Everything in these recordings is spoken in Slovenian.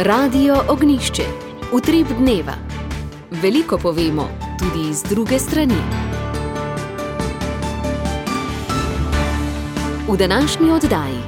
Radio Ognjišče. Utrip dneva. Veliko povemo, tudi iz druge strani. V današnji oddaji.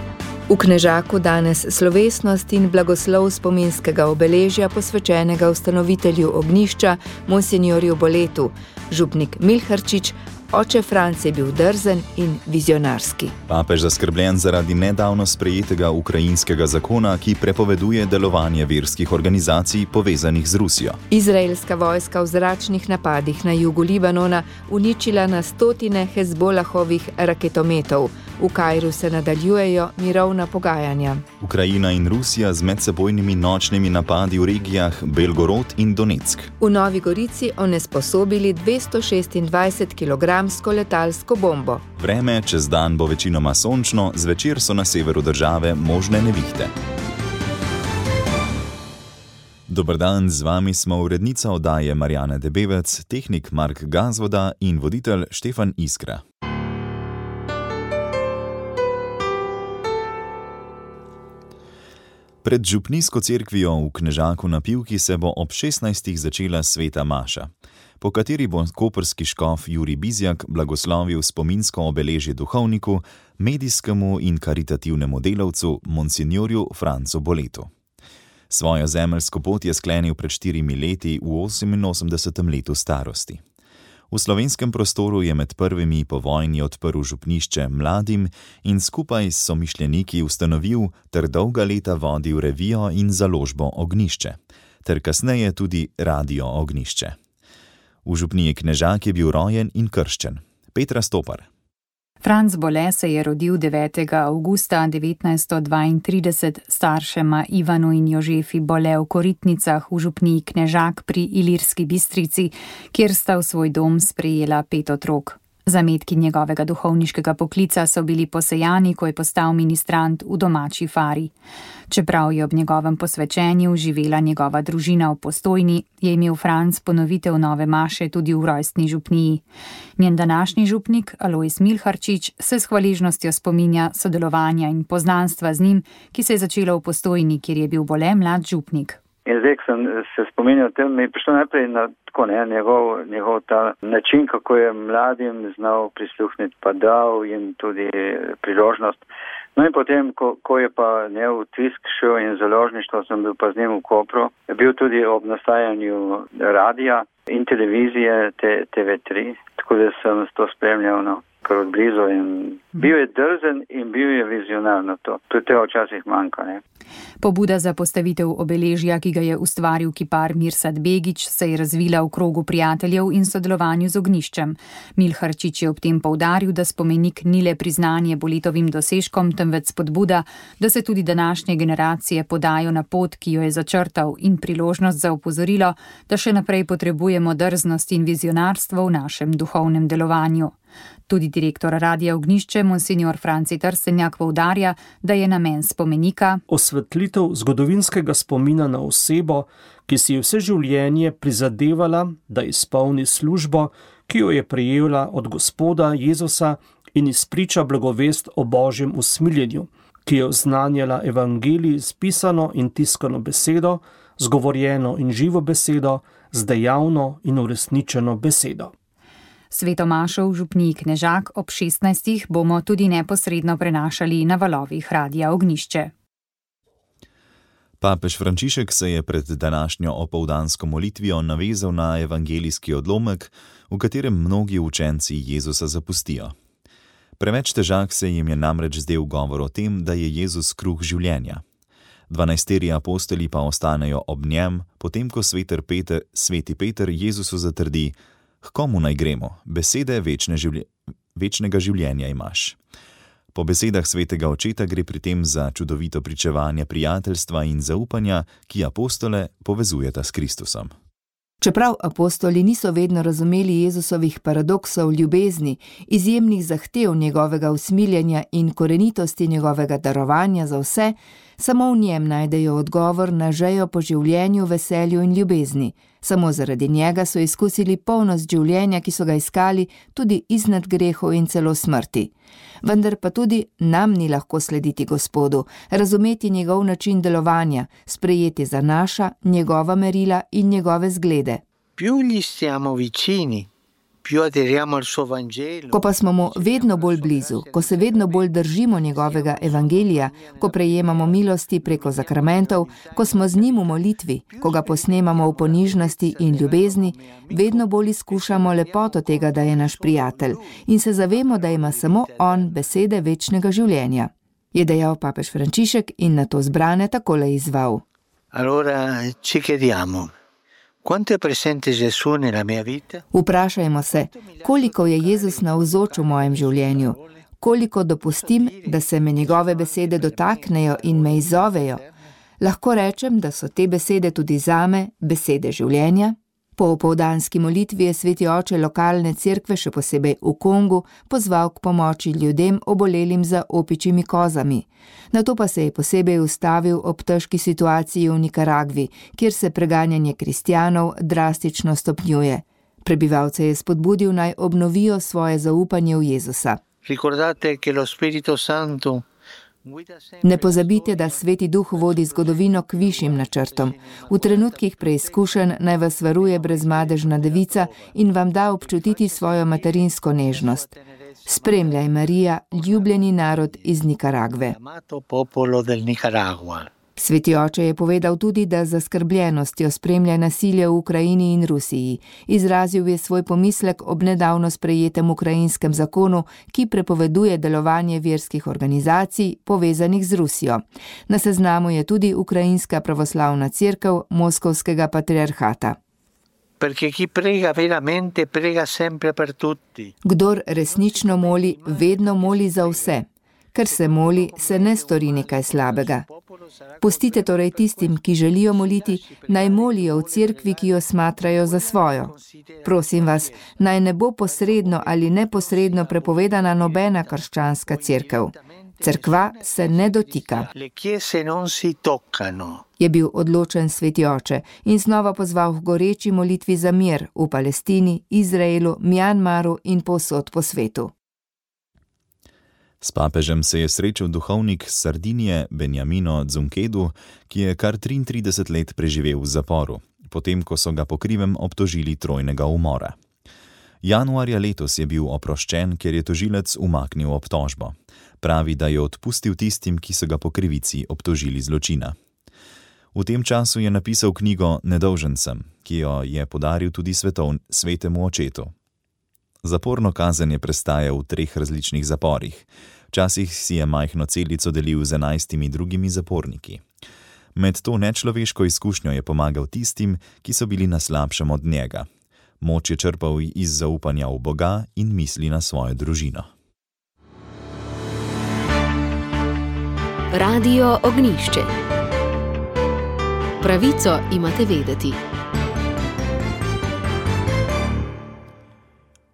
V Knežaku danes slovesnost in blagoslov spominskega obeležja posvečenega ustanovitelju ognjišča, monsinjorju Boletu. Župnik Milharčič, oče Franc je bil drzen in vizionarski. Papež zaskrbljen zaradi nedavno sprejetega ukrajinskega zakona, ki prepoveduje delovanje verskih organizacij povezanih z Rusijo. Izraelska vojska v zračnih napadih na jugu Libanona uničila na stotine Hezbolahovih raketometov. V Kairu se nadaljujejo mirovna pogajanja. Ukrajina in Rusija z medsebojnimi nočnimi napadi v regijah Belgorod in Donetsk. V Novi Gorici onesposobili 226 kilogramsko letalsko bombo. Vreme čez dan bo večinoma sončno, zvečer so na severu države možne nevihte. Dober dan, z vami smo urednica oddaje Marjana Debevec, tehnik Mark Gazvoda in voditelj Štefan Iskra. Pred župnijsko cerkvijo v Knežaku na Pivki se bo ob 16. začela sveta maša, po kateri bo koprski škof Jurij Bizjak blagoslovil spominsko obeležje duhovniku, medijskemu in karitativnemu delavcu, monsinjorju Francu Boletu. Svojo zemeljsko pot je sklenil pred 4 leti v 88. letu starosti. V slovenskem prostoru je med prvimi po vojni odprl župnišče mladim in skupaj s somišljeniki ustanovil ter dolga leta vodil revijo in založbo Ognjišče, ter kasneje tudi Radio Ognjišče. V župniji Knežak je bil rojen in krščen. Petra Stopar. Franc Bole se je rodil 9. avgusta 1932 staršema Ivanu in Jožefi Bole v Koritnicah v župniji Knežak pri Ilirski Bistrici, kjer sta v svoj dom sprejela 5 otrok. Zametki njegovega duhovniškega poklica so bili posejani, ko je postal ministrant v domači Fari. Čeprav je ob njegovem posvečenju živela njegova družina v Postojni, je imel Franc ponovitev nove maše tudi v rojstni župniji. Njen današnji župnik, Alojz Milharčič, se s hvaležnostjo spominja sodelovanja in poznanstva z njim, ki se je začelo v Postojni, kjer je bil Bole mlad župnik. In zdaj, ko sem se spominjal tem, mi je prišlo najprej na tako, njegov ta način, kako je mladim znal prisluhniti, pa dal jim tudi priložnost. No in potem, ko je pa njegov tisk šel in založništvo, sem bil pa z njim v Kopru, je bil tudi ob nastajanju radija in televizije TV3, tako da sem to spremljal kar od blizu in bil je drzen in bil je vizionarno to. Tudi tega včasih manjka, ne. Pobuda za postavitev obeležja, ki ga je ustvaril kipar Mirsad Begić, se je razvila v krogu prijateljev in sodelovanju z ognjiščem. Milharčič je ob tem poudaril, da spomenik ni le priznanje Boletovim dosežkom, temveč spodbuda, da se tudi današnje generacije podajo na pot, ki jo je začrtal, in priložnost za opozorilo, da še naprej potrebujemo drznost in vizionarstvo v našem duhovnem delovanju. Tudi direktor Radia Ognjišče, monsinjor Franci Trstenjak, poudarja, da je namen spomenika osvetlitev zgodovinskega spomina na osebo, ki si je vse življenje prizadevala, da izpolni službo, ki jo je prejela od Gospoda Jezusa in izpriča blagovest o Božjem usmiljenju, ki je oznanjala evangelij z pisano in tiskano besedo, z govorjeno in živo besedo, z dejavno in uresničeno besedo. Sveto mašo v župniji Knežak ob 16. bomo tudi neposredno prenašali na valovih Radia Ognjišče. Papež Frančišek se je pred današnjo opoldansko molitvijo navezal na evangelijski odlomek, v katerem mnogi učenci Jezusa zapustijo. Preveč težak se jim je namreč zdel govor o tem, da je Jezus kruh življenja. 12 apostoli pa ostanejo ob njem, potem ko sveti Peter Jezusu zatrdi: "K komu naj gremo? Besede večnega življenja imaš." Po besedah svetega očeta gre pri tem za čudovito pričevanje prijateljstva in zaupanja, ki apostole povezujeta s Kristusom. Čeprav apostoli niso vedno razumeli Jezusovih paradoksov ljubezni, izjemnih zahtev njegovega usmiljenja in korenitosti njegovega darovanja za vse, Samo v njem najdejo odgovor na žejo po življenju, veselju in ljubezni. Samo zaradi njega so izkusili polnost življenja, ki so ga iskali tudi iznad grehov in celo smrti. Vendar pa tudi nam ni lahko slediti Gospodu, razumeti njegov način delovanja, sprejeti za naša, njegova merila in njegove zglede. Più gli stiamo vicini, più aderiamo al suo Vangelo. Ko pa smo mu vedno bolj blizu, ko se vedno bolj držimo njegovega evangelija, ko prejemamo milosti preko zakramentov, ko smo z njim v molitvi, ko ga posnemamo v ponižnosti in ljubezni, vedno bolj izkušamo lepoto tega, da je naš prijatelj in se zavemo, da ima samo on besede večnega življenja. Je dejal papež Frančišek in na to zbrane takole izzval. Allora ci chiediamo. Quanto è presente Gesù nella mia vita? Vprašajmo se, koliko je Jezus navzoč v mojem življenju, koliko dopustim, da se me njegove besede dotaknejo in me izzovejo. Lahko rečem, da so te besede tudi zame besede življenja. Po opoldanski molitvi je sveti oče lokalne cerkve, še posebej v Kongu, pozval k pomoči ljudem obolelim za opičjimi kozami. Nato pa se je posebej ustavil ob težki situaciji v Nikaragvi, kjer se preganjanje kristjanov drastično stopnjuje. Prebivalce je spodbudil naj obnovijo svoje zaupanje v Jezusa. Ricordate che lo Spirito Santo Ne pozabite, da Sveti Duh vodi zgodovino k višjim načrtom. V trenutkih preizkušenj naj vas varuje brezmadežna devica in vam da občutiti svojo materinsko nežnost. Spremljaj, Marija, ljubljeni narod iz Nikaragve. Sveti oče je povedal tudi, da z zaskrbljenostjo spremlja nasilje v Ukrajini in Rusiji. Izrazil je svoj pomislek ob nedavno sprejetem ukrajinskem zakonu, ki prepoveduje delovanje verskih organizacij povezanih z Rusijo. Na seznamu je tudi Ukrajinska pravoslavna cerkev Moskovskega patriarhata. Kdor resnično moli, vedno moli za vse. Ker se moli, se ne stori nekaj slabega. Pustite torej tistim, ki želijo moliti, naj molijo v cerkvi, ki jo smatrajo za svojo. Prosim vas, naj ne bo posredno ali neposredno prepovedana nobena krščanska cerkev. Cerkva se ne dotika. Je bil odločen sveti oče in znova pozval k goreči molitvi za mir v Palestini, Izraelu, Mjanmaru in povsod po svetu. S papežem se je srečal duhovnik Sardinije Benjamino Dzunkedu, ki je kar 33 let preživel v zaporu, potem ko so ga po krivem obtožili trojnega umora. Januarja letos je bil oproščen, ker je tožilec umaknil obtožbo. Pravi, da je odpustil tistim, ki so ga po krivici obtožili zločina. V tem času je napisal knjigo Nedolžen sem, ki jo je podaril tudi svetemu očetu. Zaporno kazen je prestajal v 3 različnih zaporih. Včasih si je majhno celico delil z 11 drugimi zaporniki. Med to nečloveško izkušnjo je pomagal tistim, ki so bili na slabšem od njega. Moč je črpal iz zaupanja v Boga in misli na svojo družino. Radio Ognjišče. Pravico imate vedeti.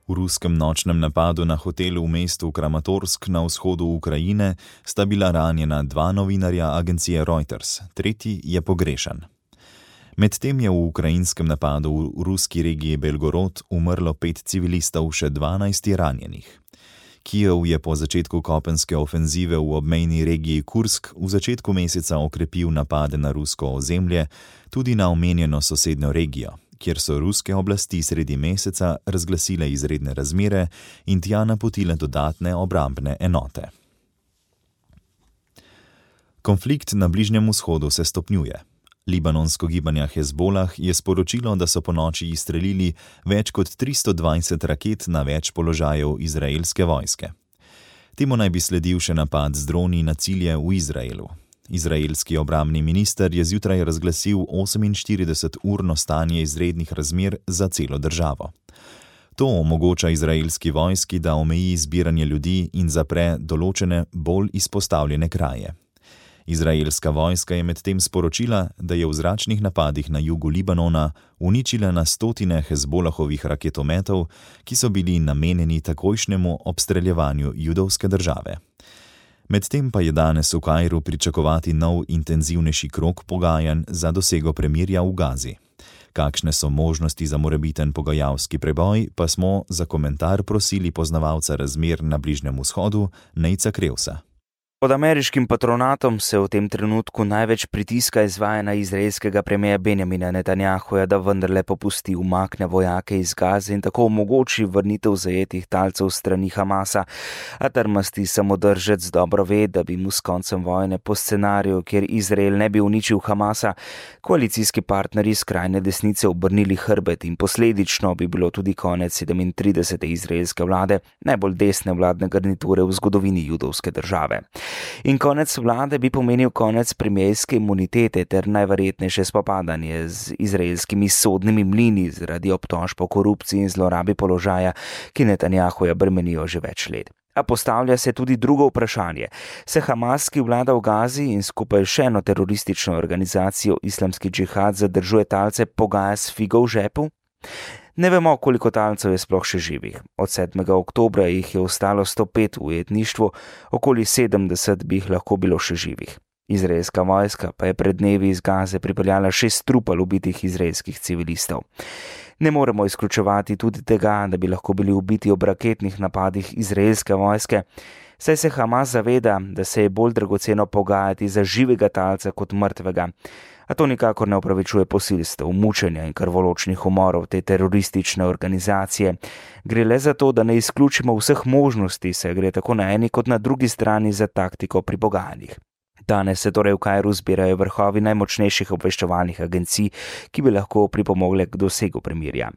V ruskem nočnem napadu na hotelu v mestu Kramatorsk na vzhodu Ukrajine sta bila ranjena 2 novinarja agencije Reuters, 3. je pogrešan. Medtem je v ukrajinskem napadu v ruski regiji Belgorod umrlo 5 civilistov, še 12 je ranjenih. Kijev je po začetku kopenske ofenzive v obmejni regiji Kursk v začetku meseca okrepil napade na rusko ozemlje, tudi na omenjeno sosednjo regijo, kjer so ruske oblasti sredi meseca razglasile izredne razmere in tja napotile dodatne obrambne enote. Konflikt na Bližnjem vzhodu se stopnjuje. Libanonsko gibanje Hezbolah je sporočilo, da so ponoči izstrelili več kot 320 raket na več položajev izraelske vojske. Temu naj bi sledil še napad z droni na cilje v Izraelu. Izraelski obrambni minister je zjutraj razglasil 48-urno stanje izrednih razmer za celo državo. To omogoča izraelski vojski, da omeji zbiranje ljudi in zapre določene bolj izpostavljene kraje. Izraelska vojska je medtem sporočila, da je v zračnih napadih na jugu Libanona uničila na stotine Hezbolahovih raketometov, ki so bili namenjeni takojšnjemu obstreljevanju judovske države. Medtem pa je danes v Kairu pričakovati nov intenzivnejši krog pogajanj za dosego premirja v Gazi. Kakšne so možnosti za morebiten pogajalski preboj, pa smo za komentar prosili poznavalca razmer na Bližnjem vzhodu, Nejca Krevsa. Pod ameriškim patronatom se v tem trenutku največ pritiska izvaja na izraelskega premierja Benjamina Netanjahuja, da vendarle popusti, umakne vojake iz Gaze in tako omogoči vrnitev zajetih talcev strani Hamasa. A trmasti samodržec dobro ve, da bi mu s koncem vojne po scenariju, kjer Izrael ne bi uničil Hamasa, koalicijski partnerji skrajne desnice obrnili hrbet in posledično bi bilo tudi konec 37. izraelske vlade, najbolj desne vladne garniture v zgodovini judovske države. In konec vlade bi pomenil konec premierske imunitete ter najverjetnejše spopadanje z izraelskimi sodnimi mlini zaradi obtožb o korupciji in zlorabi položaja, ki Netanjahuja bremenijo že več let. A postavlja se tudi drugo vprašanje. Se Hamas, ki vlada v Gazi in skupaj še eno teroristično organizacijo Islamski džihad zadržuje talce, pogaja s figo v žepu? Ne vemo, koliko talcev je sploh še živih. Od 7. oktobra jih je ostalo 105 v ujetništvu, okoli 70 bi jih lahko bilo še živih. Izraelska vojska pa je pred dnevi iz Gaze pripeljala 6 trupel ubitih izraelskih civilistov. Ne moremo izključevati tudi tega, da bi lahko bili ubiti ob raketnih napadih izraelske vojske, saj se Hamas zaveda, da se je bolj dragoceno pogajati za živega talca kot mrtvega. A to nikakor ne opravičuje posilstev, mučenja in krvoločnih umorov te teroristične organizacije. Gre le za to, da ne izključimo vseh možnosti, saj gre tako na eni kot na drugi strani za taktiko pri pogajanjih. Danes se torej v Kairu zbirajo vrhovi najmočnejših obveščevalnih agencij, ki bi lahko pripomogle k dosegu premirja.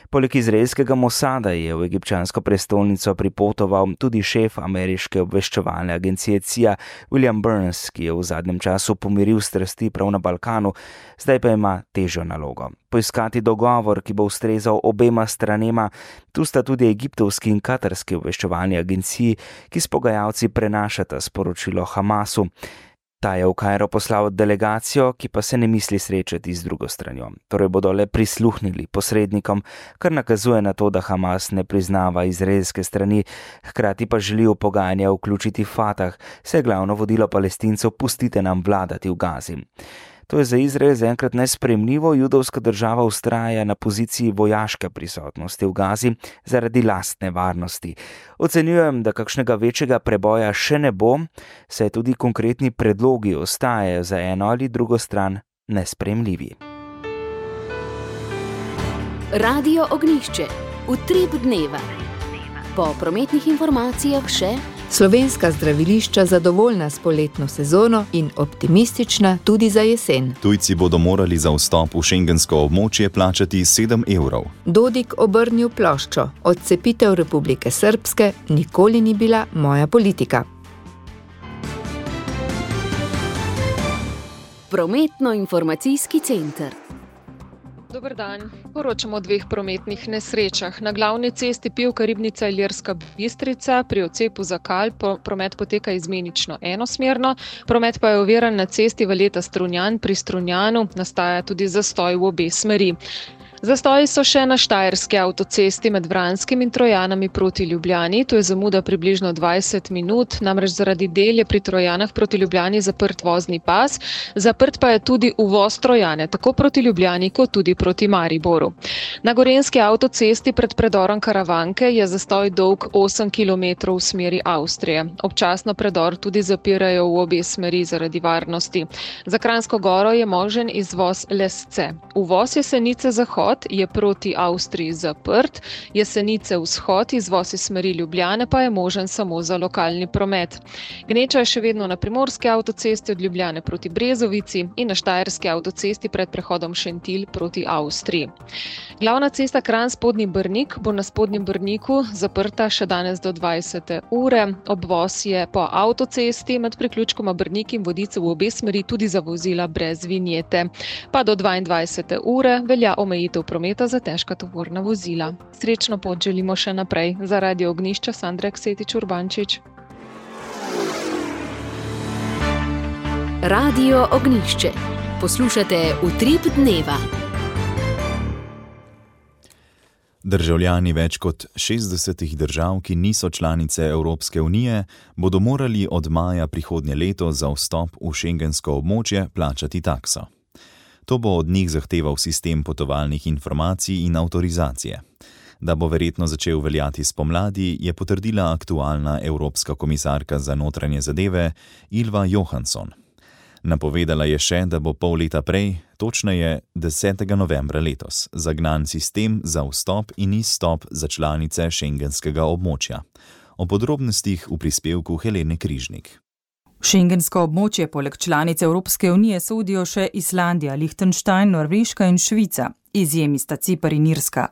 Poleg izraelskega Mosada je v egipčansko prestolnico pripotoval tudi šef ameriške obveščevalne agencije CIA William Burns, ki je v zadnjem času pomiril strasti prav na Balkanu, zdaj pa ima težjo nalogo. Poiskati dogovor, ki bo ustrezal obema stranema, tu sta tudi egiptovski in katarski obveščevalni agenciji, ki s pogajalci prenašata sporočilo Hamasu. Ta je v Kairo poslal delegacijo, ki pa se ne misli srečati z drugo stranjo. Torej bodo le prisluhnili posrednikom, kar nakazuje na to, da Hamas ne priznava izraelske strani, hkrati pa želi v pogajanja vključiti Fatah, saj glavno vodilo Palestincev pustite nam vladati v Gazi. To je za Izrael zaenkrat nesprejemljivo, judovska država vztraja na poziciji vojaške prisotnosti v Gazi zaradi lastne varnosti. Ocenjujem, da kakšnega večjega preboja še ne bo, saj tudi konkretni predlogi ostajajo za eno ali drugo stran nesprejemljivi. Radio Ognjišče. Utrip dneva. Po prometnih informacijah še slovenska zdravilišča zadovoljna s poletno sezono in optimistična tudi za jesen. Tujci bodo morali za vstop v šengensko območje plačati 7 evrov. Dodik obrnil ploščo. Odcepitev Republike Srbske nikoli ni bila moja politika. Prometno-informacijski center. Dober dan. Poročamo o 2 prometnih nesrečah. Na glavni cesti Pivka Ribnica Ilirska Bistrica pri odcepu za Kal promet poteka izmenično enosmerno, promet pa je oviran na cesti Valeta Strunjan. Pri Strunjanu nastaja tudi zastoj v obe smeri. Zastoji so še na štajerski avtocesti med Vranskim in Trojanami proti Ljubljani. To je zamuda približno 20 minut, namreč zaradi del je pri Trojanah proti Ljubljani zaprt vozni pas, zaprt pa je tudi uvoz Trojane, tako proti Ljubljani kot tudi proti Mariboru. Na gorenjski avtocesti pred predorom Karavanke je zastoj dolg 8 km v smeri Avstrije. Občasno predor tudi zapirajo v obe smeri zaradi varnosti. Za Kranjsko Goro je možen izvoz Lesce. Uvoz Jesenice zahod je proti Avstriji zaprt, Jesenice vzhod, izvoz iz smeri Ljubljane pa je možen samo za lokalni promet. Gneča je še vedno na primorski avtocesti od Ljubljane proti Brezovici in na štajerski avtocesti pred prehodom Šentilj proti Avstriji. Glavna cesta Kranj-Spodnji Brnik bo na Spodnjem Brniku zaprta še danes do 20. ure. Obvoz je po avtocesti med priključkoma Brnik in Vodice v obe smeri tudi za vozila brez vinjete. Pa do 22. ure velja omejitev prometa za težka tovorna vozila. Srečno pot želimo še naprej. Za Radio Ognjišče Sandra Ksetič Urbančič. Radio Ognjišče. Poslušate Utrip dneva. Državljani več kot 60 držav, ki niso članice Evropske unije, bodo morali od maja prihodnje leto za vstop v šengensko območje plačati takso. To bo od njih zahteval sistem potovalnih informacij in avtorizacije. Da bo verjetno začel veljati spomladi, je potrdila aktualna evropska komisarka za notranje zadeve Ylva Johansson. Napovedala je še, da bo pol leta prej, točneje 10. novembra letos, zagnan sistem za vstop in izstop za članice šengenskega območja. O podrobnostih v prispevku Helene Križnik. Šengensko območje poleg članic Evropske unije sodijo še Islandija, Liechtenstein, Norveška in Švica. Izjemi sta Ciper in Irska.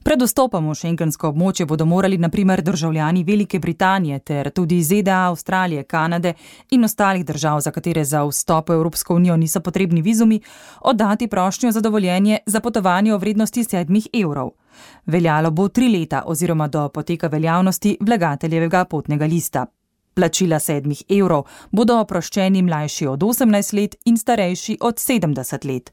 Pred vstopom v šengensko območje bodo morali na primer državljani Velike Britanije ter tudi ZDA, Avstralije, Kanade in ostalih držav, za katere za vstop v Evropsko unijo niso potrebni vizumi, oddati prošnjo za dovoljenje za potovanje v vrednosti 7 evrov. Veljalo bo 3 leta oziroma do poteka veljavnosti vlagateljevega potnega lista. Plačila 7 evrov bodo oproščeni mlajši od 18 let in starejši od 70 let.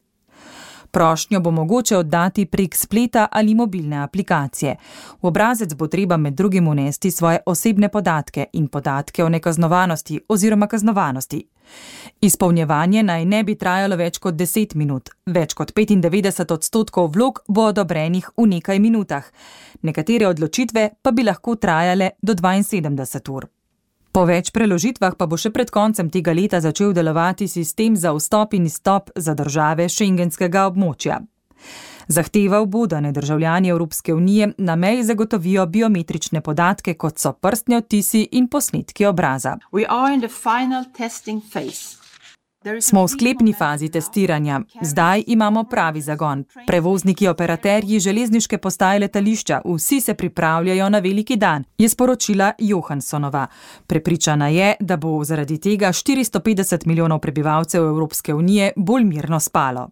Prošnjo bo mogoče oddati prek spleta ali mobilne aplikacije. V obrazec bo treba med drugim unesti svoje osebne podatke in podatke o nekaznovanosti oziroma kaznovanosti. Izpolnjevanje naj ne bi trajalo več kot 10 minut. Več kot 95% vlog bo odobrenih v nekaj minutah. Nekatere odločitve pa bi lahko trajale do 72 ur. Po več preložitvah pa bo še pred koncem tega leta začel delovati sistem za vstop in izstop za države šengenskega območja. Zahteval bo, da državljani Evropske unije na meji zagotovijo biometrične podatke, kot so prstni odtisi in posnetki obraza. Smo v sklepni fazi testiranja. Zdaj imamo pravi zagon. Prevozniki, operaterji, železniške postaje, letališča, vsi se pripravljajo na veliki dan, je sporočila Johanssonova. Prepričana je, da bo zaradi tega 450 milijonov prebivalcev Evropske unije bolj mirno spalo.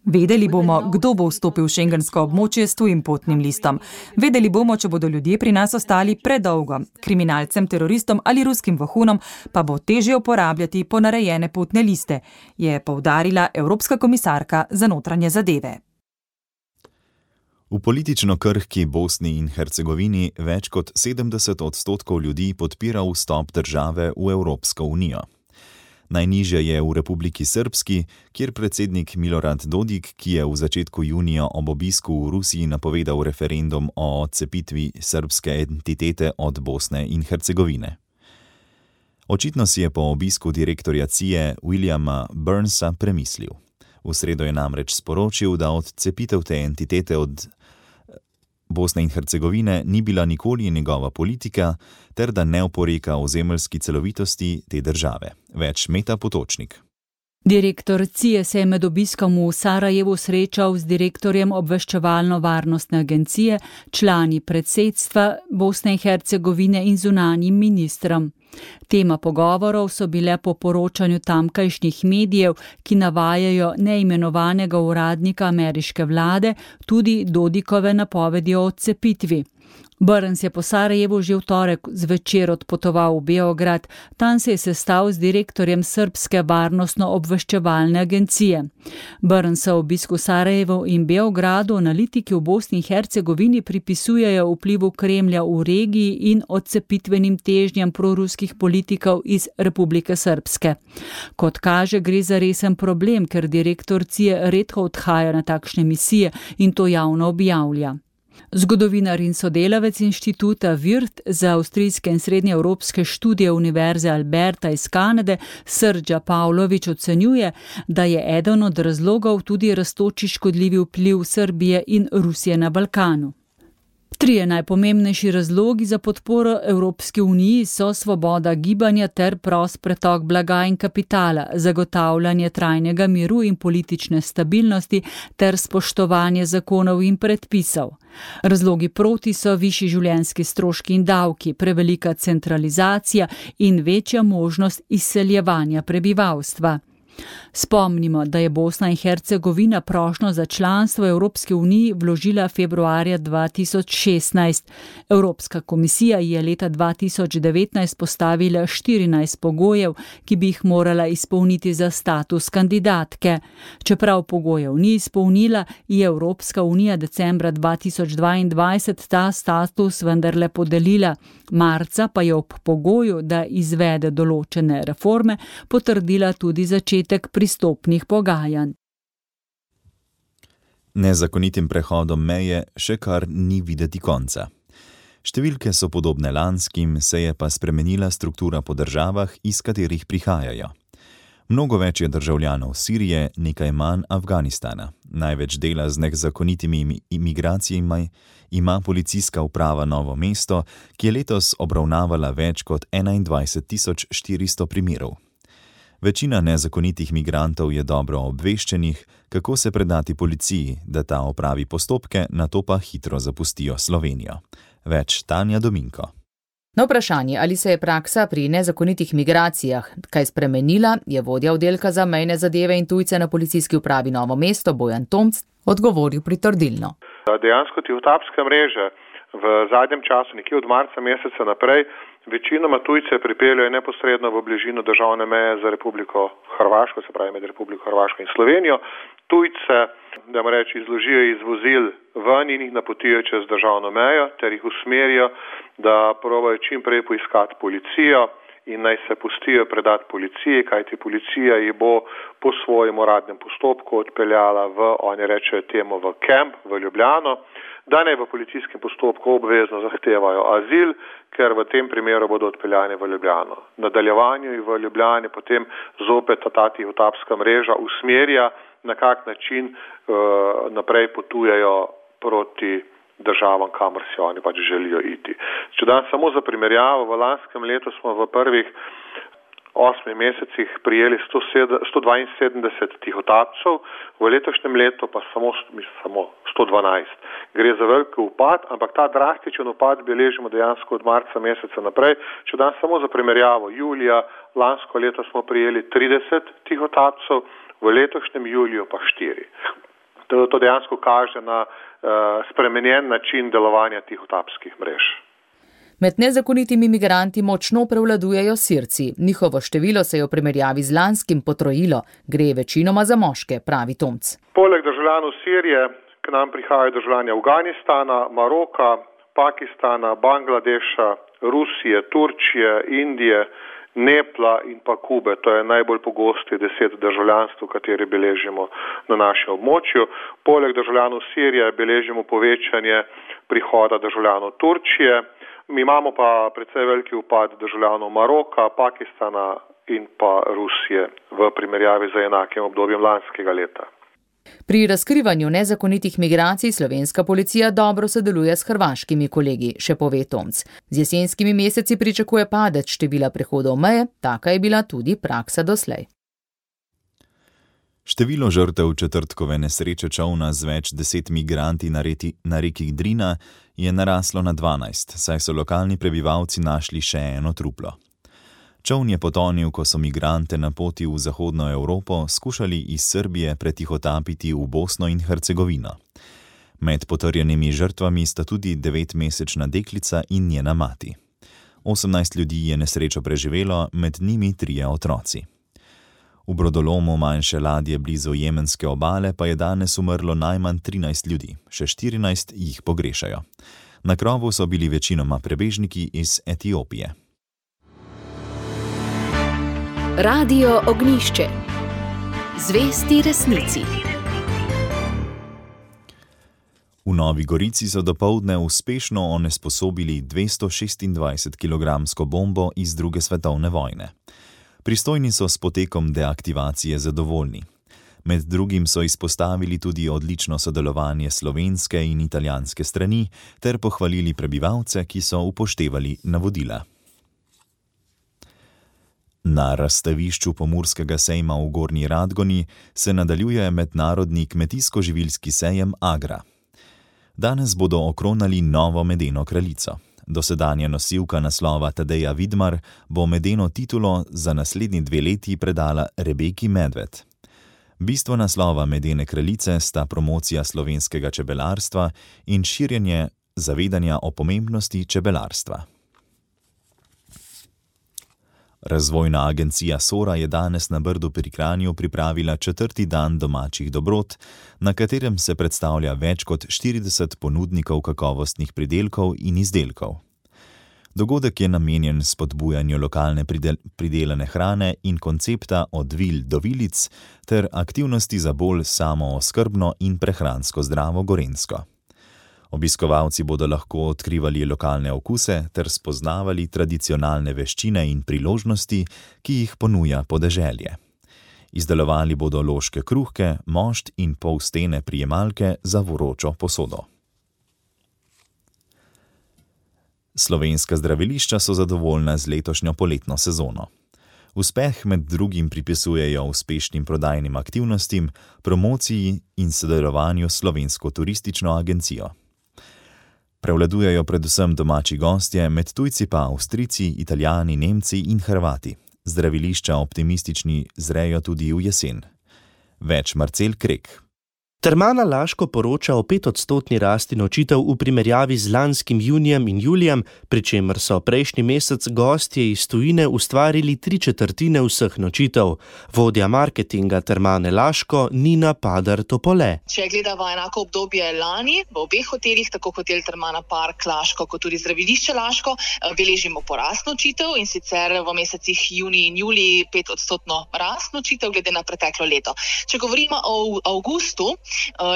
Vedeli bomo, kdo bo vstopil v šengensko območje s tujim potnim listom. Vedeli bomo, če bodo ljudje pri nas ostali predolgo. Kriminalcem, teroristom ali ruskim vohunom pa bo težje uporabljati ponarejene potne liste, je poudarila Evropska komisarka za notranje zadeve. V politično krhki Bosni in Hercegovini več kot 70% ljudi podpira vstop države v Evropsko unijo. Najnižje je v Republiki Srpski, kjer predsednik Milorad Dodik, ki je v začetku junija ob obisku v Rusiji napovedal referendum o odcepitvi srbske entitete od Bosne in Hercegovine. Očitno si je po obisku direktorja CIA Williama Burnsa premislil. V sredo je namreč sporočil, da odcepitev te entitete od Bosne in Hercegovine ni bila nikoli njegova politika, ter da ne oporeka ozemeljski celovitosti te države. Več Meta Potočnik. Direktor CIA se je med obiskom v Sarajevu srečal z direktorjem obveščevalno-varnostne agencije, člani predsedstva Bosne in Hercegovine in zunanjim ministrom. Tema pogovorov so bile po poročanju tamkajšnjih medijev, ki navajajo neimenovanega uradnika ameriške vlade, tudi Dodikove napovedi o odcepitvi. Burns je po Sarajevu že v torek zvečer odpotoval v Beograd, tam se je sestal z direktorjem srbske varnostno-obveščevalne agencije. Burnsa obisku Sarajevu in Beogradu analitiki v Bosni in Hercegovini pripisujejo vplivu Kremlja v regiji in odcepitvenim težnjam proruskih politikov iz Republike Srpske. Kot kaže, gre za resen problem, ker direktor CIA redko odhaja na takšne misije in to javno objavlja. Zgodovinar in sodelavec inštituta Virt za avstrijske in srednjeevropske študije Univerze Alberta iz Kanade, Srdža Pavlović ocenjuje, da je eden od razlogov tudi rastoči škodljivi vpliv Srbije in Rusije na Balkanu. 3 najpomembnejši razlogi za podporo Evropski uniji so svoboda gibanja ter prost pretok blaga in kapitala, zagotavljanje trajnega miru in politične stabilnosti ter spoštovanje zakonov in predpisov. Razlogi proti so višji življenjski stroški in davki, prevelika centralizacija in večja možnost izseljevanja prebivalstva. Spomnimo, da je Bosna in Hercegovina prošnjo za članstvo Evropske unije vložila februarja 2016. Evropska komisija je leta 2019 postavila 14 pogojev, ki bi jih morala izpolniti za status kandidatke. Čeprav pogojev ni izpolnila, je Evropska unija decembra 2022 ta status vendarle podelila. Marca pa je ob pogoju, da izvede določene reforme, potrdila tudi začetek pristopnih pogajanj. Nezakonitim prehodom meje še kar ni videti konca. Številke so podobne lanskim, se je pa spremenila struktura po državah, iz katerih prihajajo. Mnogo več je državljanov Sirije, nekaj manj Afganistana. Največ dela z nezakonitimi imigracijami ima policijska uprava Novo mesto, ki je letos obravnavala več kot 21.400 primerov. Večina nezakonitih migrantov je dobro obveščenih, kako se predati policiji, da ta opravi postopke, nato pa hitro zapustijo Slovenijo. Več Tanja Dominko. Na vprašanje, ali se je praksa pri nezakonitih migracijah kaj spremenila, je vodja oddelka za mejne zadeve in tujce na policijski upravi Novo mesto Bojan Tomc odgovoril pritrdilno. Dejansko tihotapske mreže v zadnjem času, nekje od marca meseca naprej, večinoma tujce pripeljajo neposredno v bližino državne meje za Republiko Hrvaško, se pravi med Republiko Hrvaško in Slovenijo. Tujce, da izložijo iz vozil ven in jih napotijo čez državno mejo, ter jih usmerijo, da probajo čim prej poiskati policijo in naj se pustijo predati policiji, kajti policija jih bo po svojem uradnem postopku odpeljala v kamp v Ljubljano, da naj v policijskem postopku obvezno zahtevajo azil, ker v tem primeru bodo odpeljani v Ljubljano. V nadaljevanju in v Ljubljani potem zopet ta tihotapska mreža usmerja, na kak način naprej potujejo proti državam, kamor si oni pač želijo iti. Če dam samo za primerjavo, v lanskem letu smo v prvih 8 mesecih prijeli 172 tihotapcev, v letošnjem letu pa samo 112. Gre za velik upad, ampak ta drastičen upad beležimo dejansko od marca meseca naprej. Če dam samo za primerjavo, julija lansko leto smo prijeli 30 tihotapcev, v letošnjem juliju pa 4. To dejansko kaže na spremenjen način delovanja tihotapskih mrež. Med nezakonitimi migranti močno prevladujejo Sirci. Njihovo število se je v primerjavi z lanskim potrojilo. Gre večinoma za moške, pravi Tomc. Poleg državljanov Sirije k nam prihajajo državljani Afganistana, Maroka, Pakistana, Bangladeša, Rusije, Turčije, Indije, Nepla in pa Kube. To je najbolj pogosti 10 državljanstv, kateri beležimo na našem območju. Poleg državljanov Sirije beležimo povečanje prihoda državljanov Turčije. Mi imamo pa precej veliki upad državljanov Maroka, Pakistana in pa Rusije v primerjavi z enakim obdobjem lanskega leta. Pri razkrivanju nezakonitih migracij slovenska policija dobro sodeluje s hrvaškimi kolegi, še pove Tomc. Z jesenskimi meseci pričakuje padec števila prehodov meje, taka je bila tudi praksa doslej. Število žrtev četrtkove nesreče čolna z več 10 migranti na reki Drina je naraslo na 12, saj so lokalni prebivalci našli še eno truplo. Čoln je potonil, ko so migrante na poti v zahodno Evropo skušali iz Srbije pretihotapiti v Bosno in Hercegovino. Med potrjenimi žrtvami sta tudi 9-mesečna deklica in njena mati. 18 ljudi je nesrečo preživelo, med njimi 3 otroci. V brodolomu manjše ladje blizu jemenske obale pa je danes umrlo najmanj 13 ljudi, še 14 jih pogrešajo. Na krovu so bili večinoma prebežniki iz Etiopije. Radio Ognjišče. Zvesti resnici. V Novi Gorici so dopoldne uspešno onesposobili 226-kilogramsko bombo iz druge svetovne vojne. Pristojni so s potekom deaktivacije zadovoljni. Med drugim so izpostavili tudi odlično sodelovanje slovenske in italijanske strani ter pohvalili prebivalce, ki so upoštevali navodila. Na razstavišču Pomurskega sejma v Gornji Radgoni se nadaljuje mednarodni kmetijsko-živilski sejem Agra. Danes bodo okronali novo medeno kraljico. Dosedanja nosilka naslova Tadeja Vidmar bo medeno titulo za naslednji 2 leti predala Rebeki Medved. Bistvo naslova medene kraljice sta promocija slovenskega čebelarstva in širjenje zavedanja o pomembnosti čebelarstva. Razvojna agencija Sora je danes na Brdu pri Kranju pripravila 4. dan domačih dobrot, na katerem se predstavlja več kot 40 ponudnikov kakovostnih pridelkov in izdelkov. Dogodek je namenjen spodbujanju lokalne pridelane hrane in koncepta od vil do vilic ter aktivnosti za bolj samooskrbno in prehransko zdravo Gorenjsko. Obiskovalci bodo lahko odkrivali lokalne okuse ter spoznavali tradicionalne veščine in priložnosti, ki jih ponuja podeželje. Izdelovali bodo loške kruhke, mošt in polstene prijemalke za vročo posodo. Slovenska zdravilišča so zadovoljna z letošnjo poletno sezono. Uspeh med drugim pripisujejo uspešnim prodajnim aktivnostim, promociji in sodelovanju s Slovensko turistično agencijo. Prevladujejo predvsem domači gostje, med tujci pa Avstrijci, Italijani, Nemci in Hrvati. Zdravilišča optimistični zrejo tudi v jesen. Več Marcel Krek. Termana Laško poroča o 5% rasti nočitev v primerjavi z lanskim junijem in julijem, pri čemer so prejšnji mesec gostje iz tujine ustvarili 3/4 vseh nočitev. Vodja marketinga Termane Laško Nina Padar-Topole. Če gledamo enako obdobje lani, v obeh hotelih, tako hotel Termana Park Laško, kot tudi zdravilišče Laško, beležimo porast nočitev in sicer v mesecih junij in julij 5% rast nočitev glede na preteklo leto. Če govorimo o avgustu,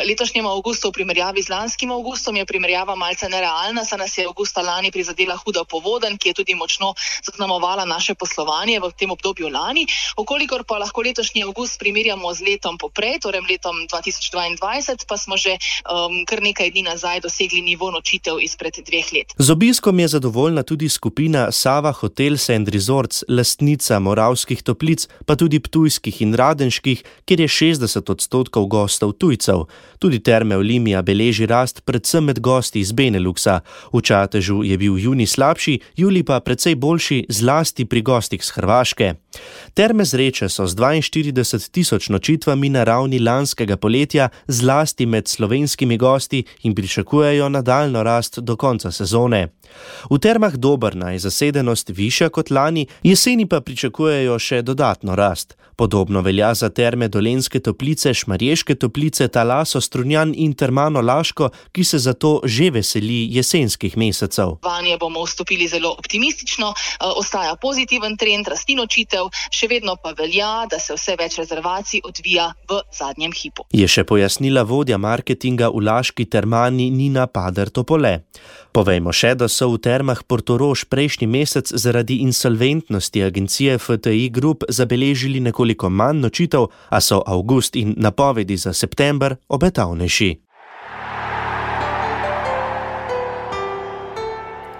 letošnjem avgustu v primerjavi z lanskim avgustom je primerjava malce nerealna, saj nas je avgusta lani prizadela huda povodenj, ki je tudi močno zaznamovala naše poslovanje v tem obdobju lani. Okolikor pa lahko letošnji avgust primerjamo z letom poprej, torej letom 2022, pa smo že kar nekaj dni nazaj dosegli nivo nočitev izpred 2 let. Z obiskom je zadovoljna tudi skupina Sava Hotels and Resorts, lastnica Moravskih Toplic, pa tudi ptujskih in radenških, kjer je 60% gostov tujcev. Tudi Terme Olimia beleži rast predvsem med gosti iz Beneluxa. V Čatežu je bil junij slabši, julij pa precej boljši, zlasti pri gostih z Hrvaške. Terme Zreče so z 42.000 nočitvami na ravni lanskega poletja, zlasti med slovenskimi gosti, in pričakujejo nadaljnjo rast do konca sezone. V Termah Dobrna je zasedenost višja kot lani, jeseni pa pričakujejo še dodatno rast. Podobno velja za Terme Dolenjske Toplice, Šmarješke Toplice, Talaso, Strunjan in Termano Laško, ki se zato že veseli jesenskih mesecev. Vanje bomo vstopili zelo optimistično, ostaja pozitiven trend rasti nočitev, še vedno pa velja, da se vse več rezervacij odvija v zadnjem hipu. Je še pojasnila vodja marketinga v Laški Termani Nina Padar-Topole. Povejmo še, da so v Termah Portorož prejšnji mesec zaradi insolventnosti agencije FTI Group zabeležili nekoliko manj nočitev, a so avgust in napovedi za september obetavnejši.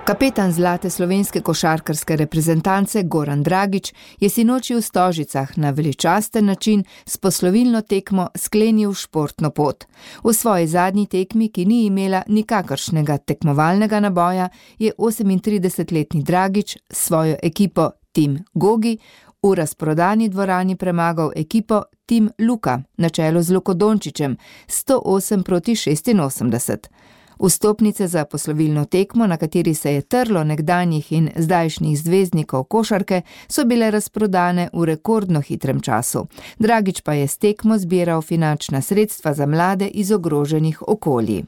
Kapetan zlate slovenske košarkarske reprezentance Goran Dragič je sinoči v Stožicah na veličasten način s poslovilno tekmo sklenil športno pot. V svoji zadnji tekmi, ki ni imela nikakršnega tekmovalnega naboja, je 38-letni Dragič svojo ekipo Tim Gogi v razprodani dvorani premagal ekipo Tim Luka na čelu z Luko Dončićem 108-86. Vstopnice za poslovilno tekmo, na kateri se je trlo nekdanjih in zdajšnjih zvezdnikov košarke, so bile razprodane v rekordno hitrem času. Dragič pa je s tekmo zbiral finančna sredstva za mlade iz ogroženih okolij.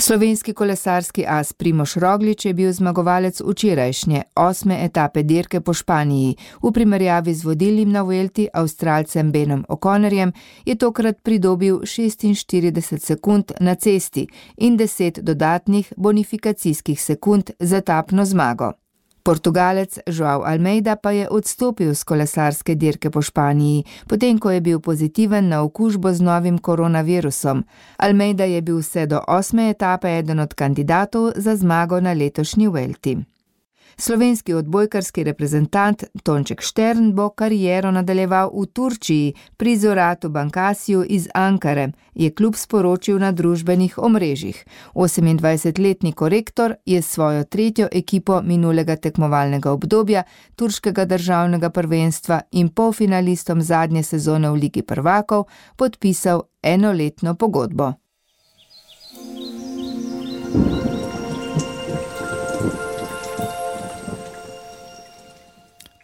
Slovenski kolesarski as Primož Roglič je bil zmagovalec včerajšnje 8. etape dirke po Španiji. V primerjavi z vodilnim na Vuelti Avstralcem Benom O'Connorjem je tokrat pridobil 46 sekund na cesti in 10 dodatnih bonifikacijskih sekund za etapno zmago. Portugalec João Almeida pa je odstopil z kolesarske dirke po Španiji, potem ko je bil pozitiven na okužbo z novim koronavirusom. Almeida je bil vse do 8. etape eden od kandidatov za zmago na letošnji Vuelti. Slovenski odbojkarski reprezentant Tonček Štern bo kariero nadaljeval v Turčiji pri Zoratu Bankasiju iz Ankare, je klub sporočil na družbenih omrežjih. 28-letni korektor je svojo tretjo ekipo minulega tekmovalnega obdobja, turškega državnega prvenstva in polfinalistom zadnje sezone v Ligi prvakov podpisal enoletno pogodbo.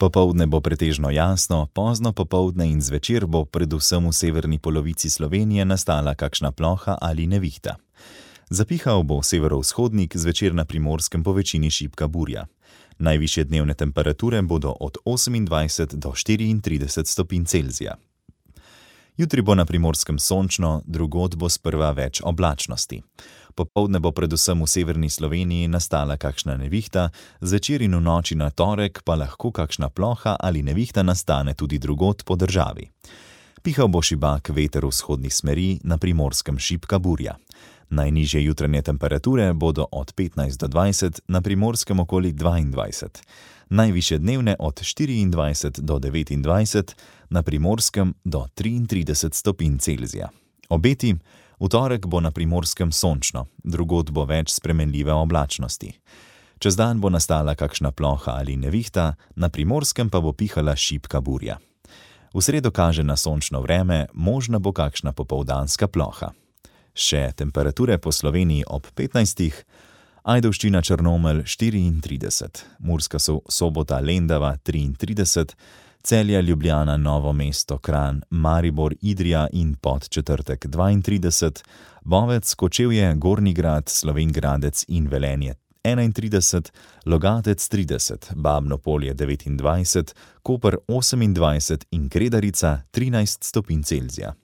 Popoldne bo pretežno jasno, pozno popoldne in zvečer bo predvsem v severni polovici Slovenije nastala kakšna ploha ali nevihta. Zapihal bo severovzhodnik, zvečer na Primorskem po večini šibka burja. Najvišje dnevne temperature bodo od 28 do 34 stopinj Celzija. Jutri bo na Primorskem sončno, drugod bo sprva več oblačnosti. Popoldne bo predvsem v severni Sloveniji nastala kakšna nevihta, zvečer in v noči na torek pa lahko kakšna ploha ali nevihta nastane tudi drugod po državi. Pihal bo šibak veter vzhodnih smeri, na Primorskem šibka burja. Najnižje jutranje temperature bodo od 15 do 20, na Primorskem okoli 22. Najvišje dnevne od 24 do 29, na Primorskem do 33 stopinj Celzija. Obeti: v torek bo na Primorskem sončno, drugod bo več spremenljive oblačnosti. Čez dan bo nastala kakšna ploha ali nevihta, na Primorskem pa bo pihala šibka burja. V sredo kaže na sončno vreme, možna bo kakšna popoldanska ploha. Še temperature po Sloveniji ob 15, Ajdovščina Črnomelj 34, Murska Sobota Lendava 33, Celje, Ljubljana, Novo mesto, Kranj, Maribor, Idrija in Podčetrtek 32, Bovec, Kočevje, Gornji Grad, Slovenj Gradec in Velenje 31, Logatec 30, Babno Polje 29, Koper 28 in Kredarica 13 stopinj Celzija.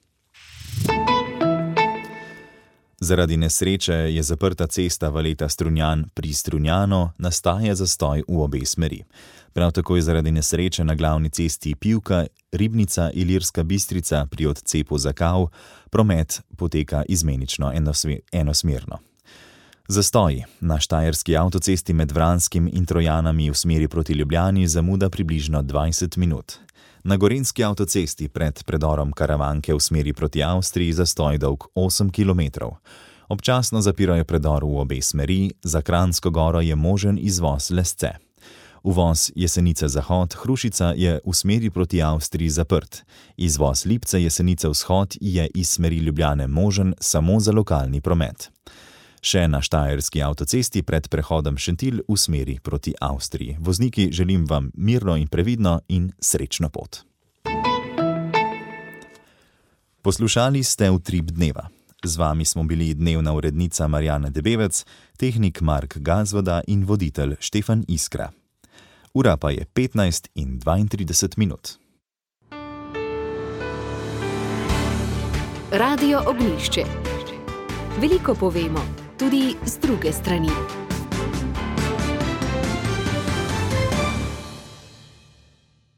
Zaradi nesreče je zaprta cesta Valeta Strunjan pri Strunjanu, nastaja zastoj v obe smeri. Prav tako je zaradi nesreče na glavni cesti Pivka, Ribnica, Ilirska Bistrica pri odcepu Zakav, promet poteka izmenično enosmerno. Zastoji na štajerski avtocesti med Vranskim in Trojanami v smeri proti Ljubljani zamuda približno 20 minut. Na gorenjski avtocesti pred predorom Karavanke v smeri proti Avstriji zastoj dolg 8 km. Občasno zapirajo predor v obe smeri, za Kranjsko goro je možen izvoz Lesce. Uvoz Jesenice-Zahod Hrušica je v smeri proti Avstriji zaprt. Izvoz Lipce-Jesenice-Vzhod je iz smeri Ljubljane možen samo za lokalni promet. Še na štajerski avtocesti pred prehodom Šentilj v smeri proti Avstriji. Vozniki, želim vam mirno in previdno in srečno pot. Poslušali ste Utrip dneva. Z vami smo bili dnevna urednica Marjana Debevec, tehnik Mark Gazvoda in voditelj Štefan Iskra. Ura pa je 15 in 32 minut. Radio Ognjišče. Veliko povemo, tudi z druge strani.